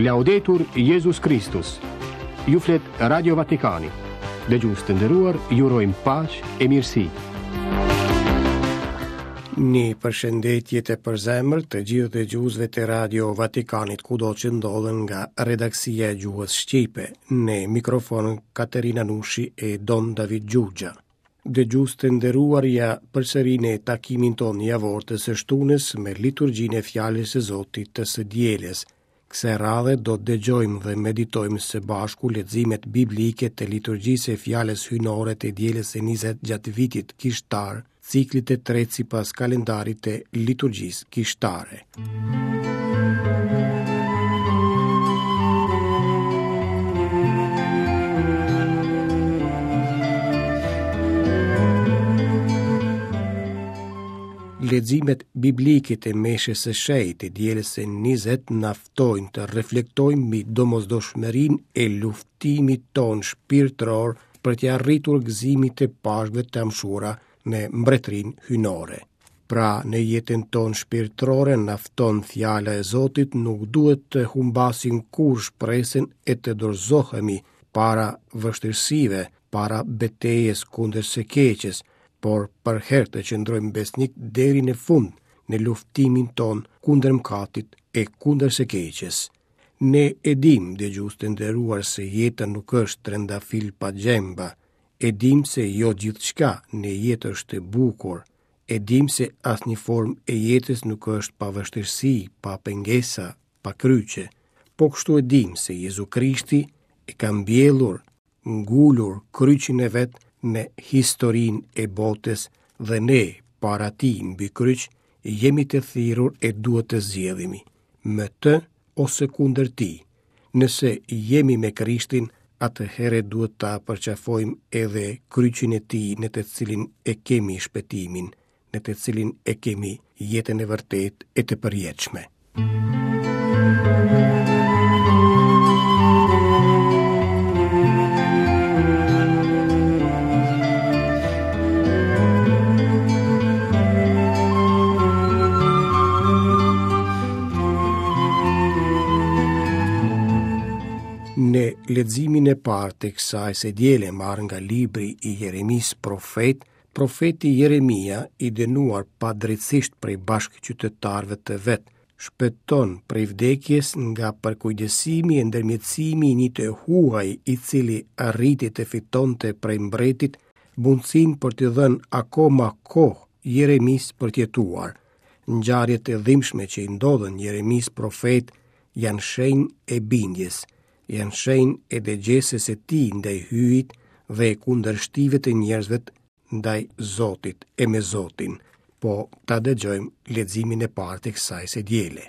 Laudetur Jezus Kristus. Ju flet Radio Vatikani. Dëgjues të nderuar, ju urojmë paqe e mirësi. Një përshëndetje të përzemërt të gjithë dëgjuesve të Radio Vatikanit kudo që ndodhen nga redaksia e gjuhës shqipe, në mikrofon Katerina Nushi e Dom David Xhuxha. Dëgjues të nderuar ja përsëri në takimin tonë javor të së shtunës me liturgjinë e fjalës së Zotit të së dielës. Kësaj radhe do të dëgjojmë dhe meditojmë së bashku leximet biblike të liturgjisë së fjalës hyjnore të dielës së 20 gjatë vitit kishtar, ciklit të tretë sipas kalendarit të liturgjisë kishtare. Leximet biblike të meshës së shenjtë të dielës së 20 na ftojnë të reflektojmë mbi domosdoshmërinë e luftimit tonë shpirtëror për t'i arritur gëzimit të Pashkëve të amshuara në mbretërinë hyjnore. Pra, në jetën tonë shpirtërore na fton fjala e Zotit nuk duhet të humbasim kurrë shpresën e të dorëzohemi para vështirësive, para betejës kundër së keqes, por përherë të qëndrojmë besnik deri në fund në luftimin tonë kundër mëkatit e kundër së keqes. Ne e dimë, dëgjues të nderuar, se jeta nuk është trëndafil pa gjemba. E dimë se jo gjithçka në jetë është e bukur. E dimë se asnjë formë e jetës nuk është pa vështirësi, pa pengesa, pa kryqe. Po kështu e dimë se Jezu Krishti e ka mbjellur ngulur kryqin e vet në historinë e botës dhe ne para tij mbi kryq jemi të thirrur e duhet të zgjedhimi, me të ose kundër tij. Nëse jemi me Krishtin, atëherë duhet ta përqafojmë edhe kryqin e tij në të cilin e kemi shpëtimin, në të cilin e kemi jetën e vërtetë e të përjetshme. Në leximin e parë të kësaj së diele marrë nga libri i Jeremisë profet, Profeti Jeremia, i dënuar padrejtësisht prej bashkëqytetarëve të vet, shpëton prej vdekjes nga përkujdesimi e ndërmjetësimi i një të huaj i cili arriti të fitonte prej mbretit mundësinë për t'i dhënë akoma kohë Jeremisë për të jetuar. Ngjarjet e dhimbshme që i ndodhën Jeremisë profet janë shenjë e bindjes, janë shenjë e dëgjesës së tij ndaj Hyjit dhe e kundërshtive të njerëzve ndaj Zotit e me Zotin. Po ta dëgjojmë leximin e parë të kësaj së diele.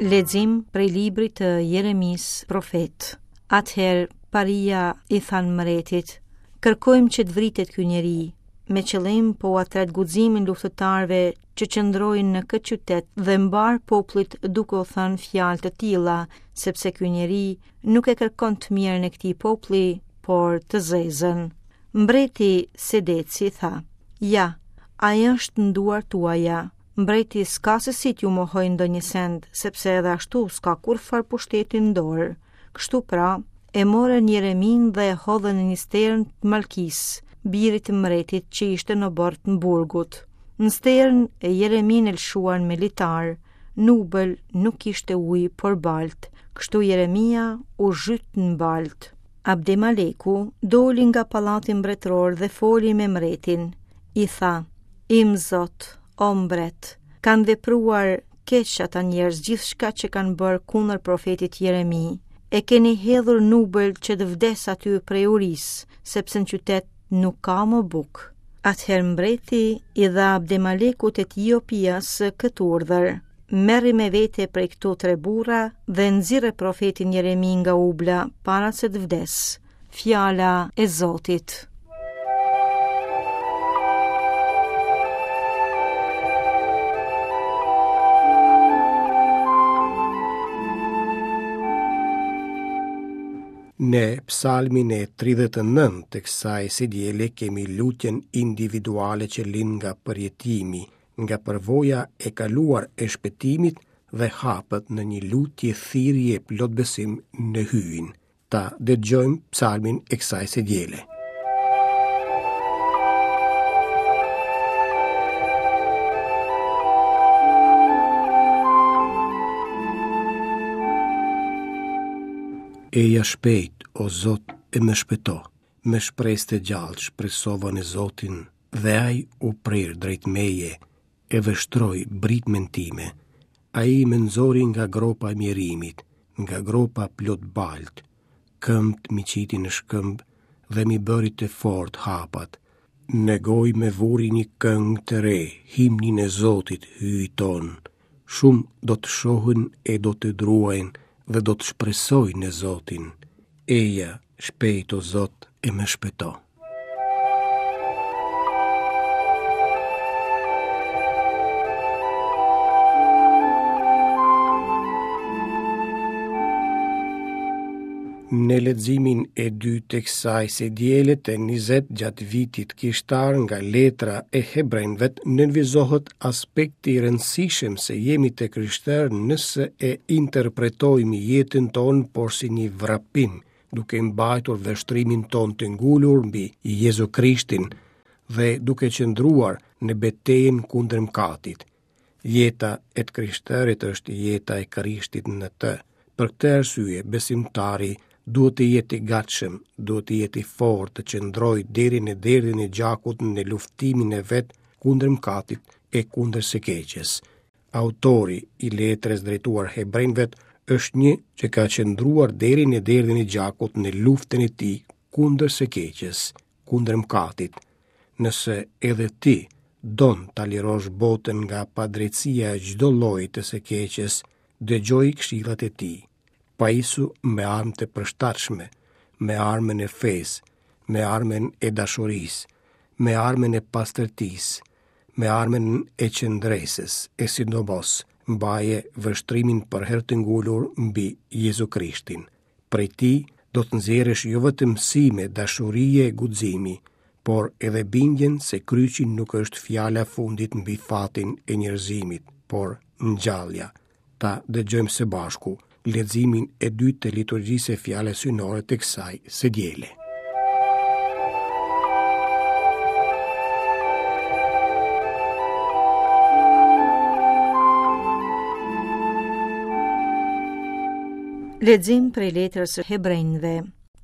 Lexim prej librit të Jeremisë profet. Atëherë paria i thanë mbretit, kërkojmë që të vritet ky njeri, me qëllim po ua tret guximin luftëtarëve që qëndrojnë në këtë qytet dhe mbarë popullit duke u thënë fjalë të tilla, sepse ky njeri nuk e kërkon të mirën e këtij populli, por të zezën. Mbreti Sedeci tha, ja, ai është në duart tuaja, Mbreti s'ka se si t'ju mohojë ndonjë send, sepse edhe ashtu s'ka kurrfarë pushteti në dorë. Kështu pra, e morën Jereminë dhe e hodhën në një sternë të Malkisë, birit të mbretit që ishte në oborr të burgut. Në sternë, Jereminë e lëshuan me litar, në ubël nuk kishte ujë, por baltë, kështu Jeremia u zhyt në baltë. Abdemaleku doli nga pallati mbretëror dhe foli me mbretin. I tha, Im zot, o mbret, kanë vepruar keq ata njerëz gjithçka që kanë bërë kundër profetit Jeremi. E keni hedhur n'ubël që të vdesë aty prej urisë, sepse në qytet nuk ka më bukë. Atëherë mbreti i dha Abdemalekut të Etiopias këtë urdhër. Merri me vete prej këtu tre burra dhe nxirre profetin Jeremi nga ubla para se të vdesë. Fjala e Zotit. Në. Në psalmin e 39 të kësaj së diele kemi lutjen individuale që lind nga përjetimi, nga përvoja e kaluar e shpëtimit dhe hapet në një lutje thirrje plot besim në Hyjin. Ta dëgjojmë psalmin e kësaj së diele. Eja shpejt, o Zot, e më shpëto. Me shpresë të gjallë shpresova në Zotin dhe ai u prir drejt meje e vështroi britmën time. Ai më nxori nga gropa e mjerimit, nga gropa plot baltë. Këmbët m'i qiti në shkëmb dhe m'i bëri të fortë hapat. Në gojë më vuri një këngë të re, himnin e Zotit, Hyjit tonë. Shumë do të shohin e do të druajnë dhe do të shpresojnë në Zotin. Eja, shpejt o Zot e më shpëto. Në leximin e dytë të kësaj së diele të 20 gjatë vitit kishtar nga letra e hebrenjve nënvizohet aspekti i rëndësishëm se jemi të krishterë nëse e interpretojmë jetën tonë porsi një vrapim, duke mbajtur vështrimin tonë të ngulur mbi Jezu Krishtin dhe duke qëndruar në betejën kundër mëkatit. Jeta e të krishterit është jeta e Krishtit në të. Për këtë arsye, besimtari duhet të jetë i gatshëm, duhet të jetë i fortë të qëndrojë deri në derdhjen e gjakut në luftimin e vet kundër mëkatit e kundër së keqes. Autori i letrës drejtuar hebrenjve është një që ka qëndruar deri në derdhjen e gjakut në luftën e tij kundër së keqes. kundër mëkatit. Nëse edhe ti don ta lirosh botën nga padrejtësia e çdo lloji të së keqes, dëgjoji këshillat e tij. Pajisu me armë të përshtatshme, me armën e fesë, me armën e dashurisë, me armën e pastërtisë, me armën e qëndresës, e sidomos mbaje vështrimin përherë të ngulur mbi Jezu Krishtin. Prej tij do të nxjerrësh jo vetëm mësime dashurie e guximi, por edhe bindjen se kryqi nuk është fjala e fundit mbi fatin e njerëzimit, por ngjallja. Ta dëgjojmë së bashku leximin e dytë të liturgjisë së fjalës hyjnore të kësaj së diele. Lexim prej letrës së Hebrenjve.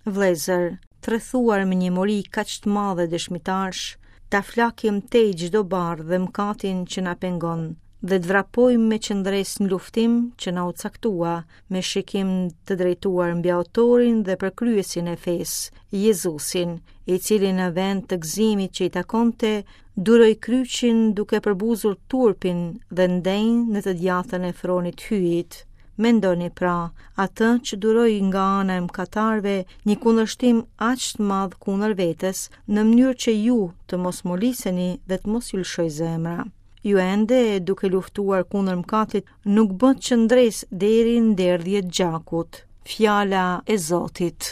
Vëllezër, të rrethuar me një mori kaq të madhe dëshmitarësh, ta flakim tej çdo barrë dhe mëkatin që na pengon dhe të vrapojmë me qëndresë në luftim që na u caktua, me shikim të drejtuar mbi autorin dhe përkryesin e fesë, Jezusin, i cili në vend të gëzimit që i takonte, duroi kryqin duke përbuzur turpin dhe ndenji në të djathtën e fronit të Hyjit. Mendoni pra, atë që duroi nga ana e mëkatarëve një kundërshtim aq të madh kundër vetes, në mënyrë që ju të mos moliseni dhe të mos ju lëshojë zemra. Ju ende duke luftuar kundër mëkatit nuk bëtë qëndresë deri në derdhje të gjakut. Fjala e Zotit.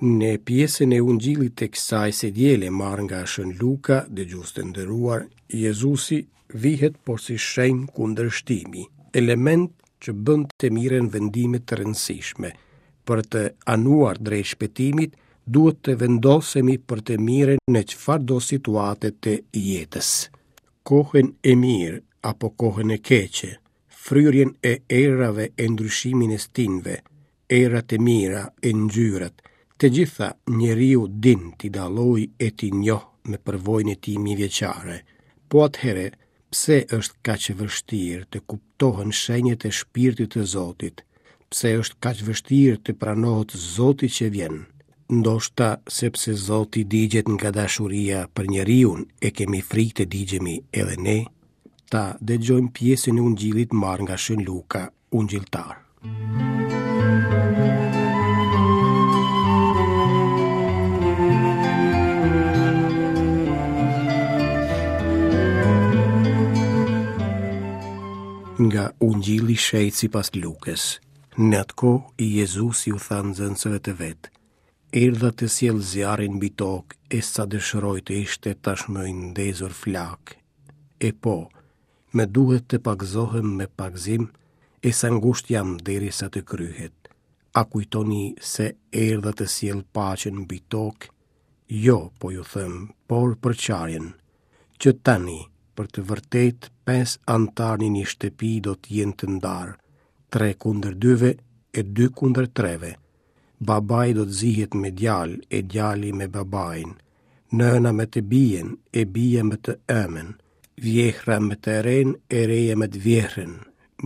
Në pjesën e Ungjillit të kësaj së diele marrë nga Shën Luka, dëgjues të nderuar, Jezusi vihet porsi shenjë kundërshtimi, element që bën të merren vendime të rëndësishme. Për të anuar drejt shpëtimit, duhet të vendosemi për të mirën në çfarëdo situate të jetës. Kohën e mirë apo kohën e keqe, fryrjen e erërave e ndryshimin e stinëve, erërat e mira e ngjyrat, të gjitha njeriu din t'i dallojë e t'i njohë me përvojën e tij mijëvjeçare. Po atëherë, pse është kaq e vështirë të kuptohen shenjat e shpirtit të Zotit? Pse është kaq vështirë të pranohet Zoti që vjen? Ndoshta sepse Zoti digjet nga dashuria për njeriun e kemi frikë të digjemi edhe ne? Ta dëgjojmë pjesën e Ungjillit marrë nga Shën Luka, ungjilltar. Nga Ungjilli i Shenjtë sipas Lukës. Në atë kohë Jezusi u tha nxënësve të vet: Erdha të sjell zjarrin mbi tokë e sa dëshiroj të ishte tashmë i ndezur flakë. E po, më duhet të pagëzohem me pagëzim e sa ngushtë jam derisa të kryhet. A kujtoni se erdha të sjell paqen mbi tokë? Jo, po ju them, por përçarjen. Që tani, për të vërtetë, pesë anëtarë në një shtëpi do të jenë të ndarë, tre kundër dyve e dy kundër treve. Babai do të zihet me djalë e djali me babain, nëna me të bijën e bija me të ëmën, vjehrra me të renë e reja me të vjehrrën.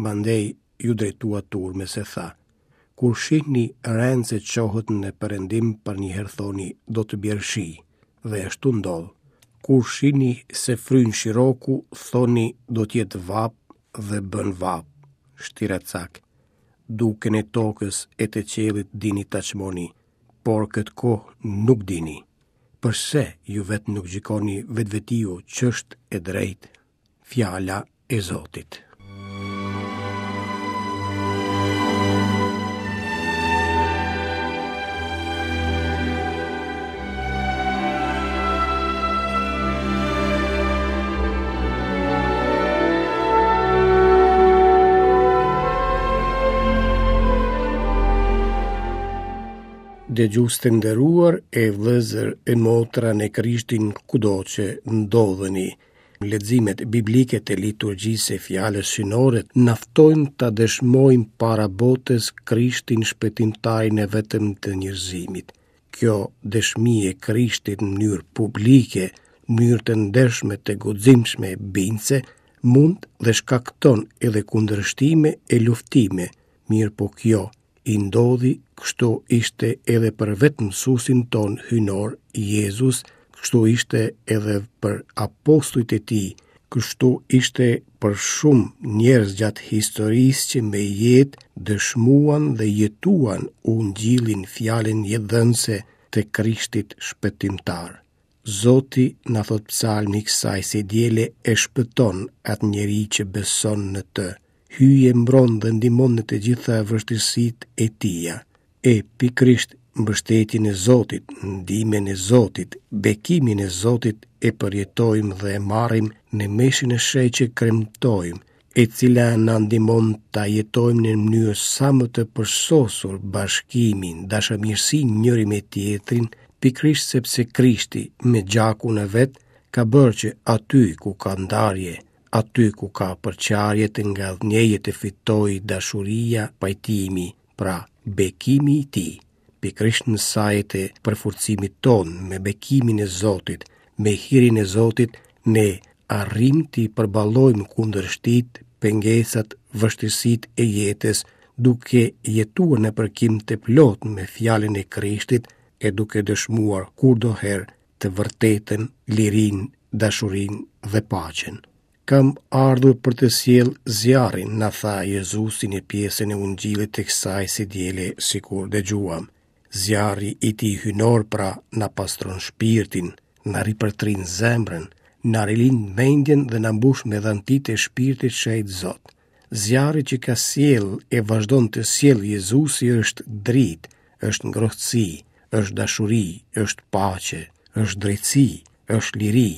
Mandej iu drejtua turmës e tha, Kur shihni renë se çohet në perëndim përnjëherë thoni do të bjerë shi, dhe ashtu ndodh. Kur shihni se fryn shiroku, thoni do të jetë vapë dhe bën vapë. Shtiracakë. Dukjen e tokës e të qiellit dini ta çmoni, por këtë kohë nuk dini. Përse ju vetë nuk gjykoni vetvetiu ç'është e drejtë? Fjala e Zotit. Dëgjues të nderuar e vëllezër e motra në Krishtin kudo që ndodheni, Leximet biblike të liturgjisë së fjalës hyjnore na ftojnë ta dëshmojmë para botës Krishtin shpëtimtarin e vetëm të njerëzimit. Kjo dëshmi e Krishtit në mënyrë publike, në mënyrë të ndershme, të guximshme e bindëse, mund dhe shkakton edhe kundërshtime e luftime, mirëpo kjo i ndodhi, kështu ishte edhe për vetë mësuesin tonë hyjnor Jezus, kështu ishte edhe për apostujt e tij, kështu ishte për shumë njerëz gjatë historisë që me jetë dëshmuan dhe jetuan ungjillin fjalën jetëdhënëse të Krishtit shpëtimtar. Zoti, na thotë psalmi i kësaj së diele, e shpëton atë njeri që beson në të. Hyji e mbron dhe ndihmon në të gjitha vështirësitë e tija. E pikërisht mbështetjen e Zotit, ndihmën e Zotit, bekimin e Zotit e përjetojmë dhe e marrim në meshën e shenjtë që kremtojmë, e cila na ndihmon ta jetojmë në mënyrë sa më të përsosur bashkimin, dashamirësinë njëri me tjetrin, pikërisht sepse Krishti me gjakun e vet ka bërë që aty ku ka ndarje, aty ku ka përçarje të ngadhnjejë të fitojë dashuria, pajtimi, pra bekimi i tij. Pikërisht në saje të përforcimit tonë me bekimin e Zotit, me hirin e Zotit, ne arrijmë t'i përballojmë kundërshtitë, pengesat, vështirësitë e jetës, duke jetuar në përkim të plotë me fjalën e Krishtit e duke dëshmuar kurdoherë të vërtetën, lirinë, dashurinë dhe paqen. Kam ardhur për të sjellë zjarrin, na tha Jezusi në pjesën e Ungjillit të kësaj së diele sikur dëgjuam. Zjarri i tij hyjnor pra na pastron shpirtin, na ripërtrin zemrën, na rilind mendjen dhe na mbush me dhantitë e shpirtit shenjt Zot. Zjarri që ka sjellë e vazhdon të sjellë Jezusi është dritë, është ngrohtësi, është dashuri, është paqe, është drejtësi, është liri,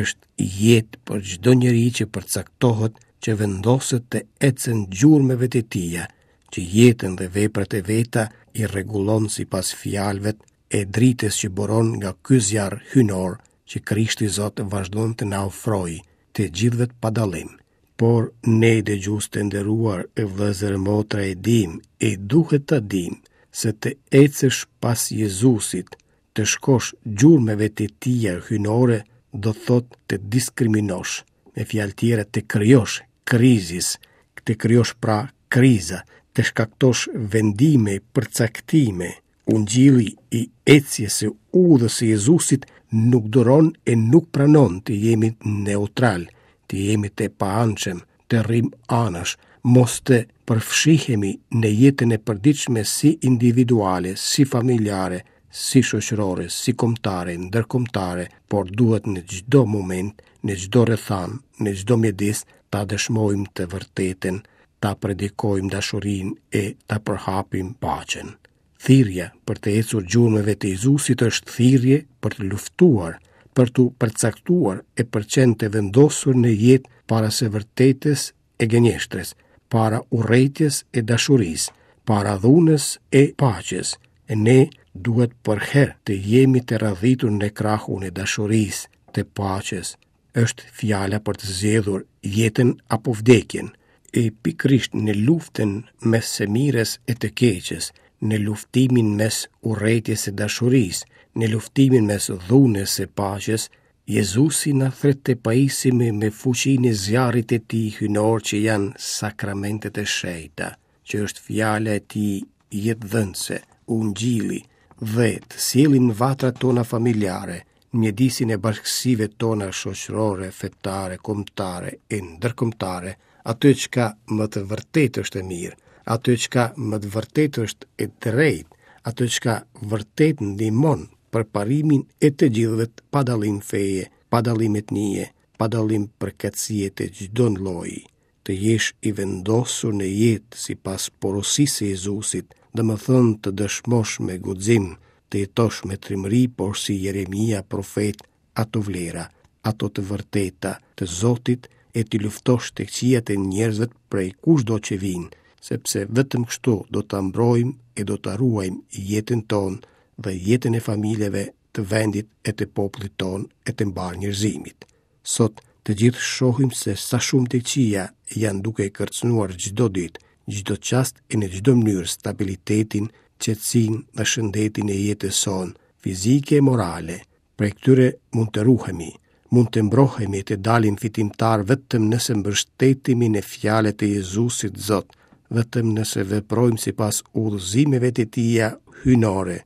është jetë për çdo njeri që përcaktohet që vendoset të ecën gjurmëve të tija, që jetën dhe veprat e veta i rregullon sipas fjalëve e dritës që buron nga ky zjarr hyjnor që Krishti Zot vazhdon të na ofrojë të gjithëve pa dallim. Por ne dëgjues të nderuar e vëllezër e motra e dimë e duhet ta dimë se të ecësh pas Jezusit, të shkosh gjurmëve të tija hyjnore do të thotë të diskriminosh, me fjalë tjera të krijosh krizis, të krijosh pra kriza, të shkaktosh vendime, përcaktime, Ungjilli i ecjes së udhës së Jezusit nuk duron e nuk pranon të jemi neutral, të jemi të paanshëm, të rrimë anash, mos të përfshihemi në jetën e përditshme si individuale, si familjare, si shoqërore, si kombëtare, ndërkombëtare, por duhet në çdo moment, në çdo rrethanë, në çdo mjedis. Ta dëshmojmë të vërtetën, ta predikojmë dashurinë e ta përhapim paqen. Thirrja për të ecur gjurmëve të Jezusit është thirrje për të luftuar, për t'u përcaktuar e për qenë të vendosur në jetë para së vërtetës e gënjeshtrës, para urrejtjes e dashurisë, para dhunës e paqes. E ne duhet përherë të jemi të radhitur në krahun e dashurisë, të paqes, është fjala për të zgjedhur jetën apo vdekjen, e pikërisht në luftën mes së mirës e të keqes, në luftimin mes urrejtjes e dashurisë, në luftimin mes dhunës e paqes, Jezusi na thërret të pajisemi me fuqinë e zjarrit të tij hyjnor që janë sakramentet e shenjta, që është fjala e tij jetëdhënëse, ungjilli, dhe të sjellim në vatrat tona familjare, në mjedisin e bashkësive tona shoqërore, fetare, kombëtare e ndërkombëtare, atë çka me të vërtetë është e mirë, atë çka me të vërtetë është e drejtë, atë çka vërtet ndihmon përparimin e të gjithëve pa dallim feje, pa dallim etnie, pa dallim përkatësie të çdo lloji. Të jesh i vendosur në jetë sipas porosisë së Jezusit, domethënë të dëshmosh me guxim, të jetosh me trimëri, porsi Jeremia profet, ato vlera, ato të vërteta të Zotit e t'i luftosh të këqijat e njerëzve prej kushdo që vijnë, sepse vetëm kështu do ta mbrojmë e do ta ruajmë jetën tonë dhe jetën e familjeve të vendit e të popullit tonë e të mbarë njerëzimit. Sot të gjithë shohim se sa shumë të këqija janë duke e kërcënuar çdo ditë, çdo çast e në çdo mënyrë stabilitetin, qetësinë dhe shëndetin e jetës sonë, fizike e morale. Prej këtyre mund të ruhemi, mund të mbrohemi e të dalim fitimtarë vetëm nëse mbështetemi në fjalët e Jezusit Zot, vetëm nëse veprojmë sipas udhëzimeve të tija hyjnore,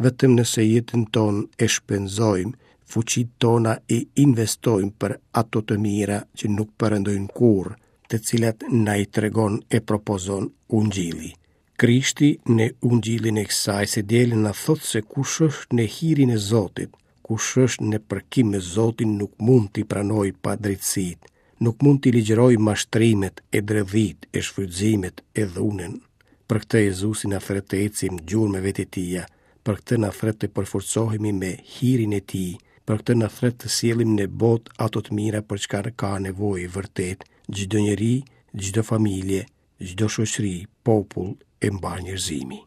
vetëm nëse jetën tonë e shpenzojmë, fuqitë tona i investojmë për ato të mira që nuk perëndojnë kurrë, të cilat na i tregon e propozon Ungjilli. Krishti në Ungjillin e kësaj së diele na thotë se kush është në hirin e Zotit, kush është në përkim me Zotin nuk mund t'i pranojë padrejtësitë, nuk mund t'i ligjërojë mashtrimet e dredhitë e shfrytëzimet e dhunën. Për këtë Jezusi na thërret të ecim gjurmëve të tija, për këtë na thërret të përforcohemi me hirin e tij, për këtë na thërret të sjellim në botë ato të mira për çka ka nevojë vërtet çdo njeri, çdo familje, çdo shoqëri, popull e mbarë njerëzimi.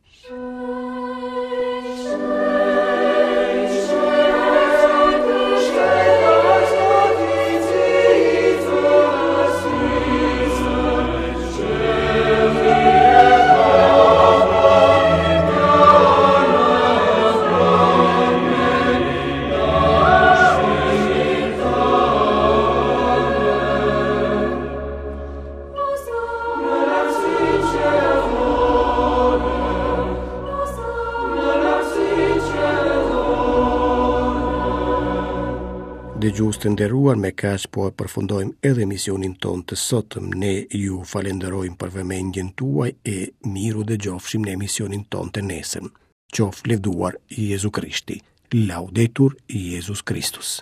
Dëgjues të nderuar, me kaq po e përfundojmë edhe emisionin tonë të sotëm. Ne ju falenderojmë për vëmendjen tuaj e mirë u dëgjofshim në emisionin tonë të nesërm. Qoftë lëvduar Jezu Krishti. Laudetur Jezus Kristus.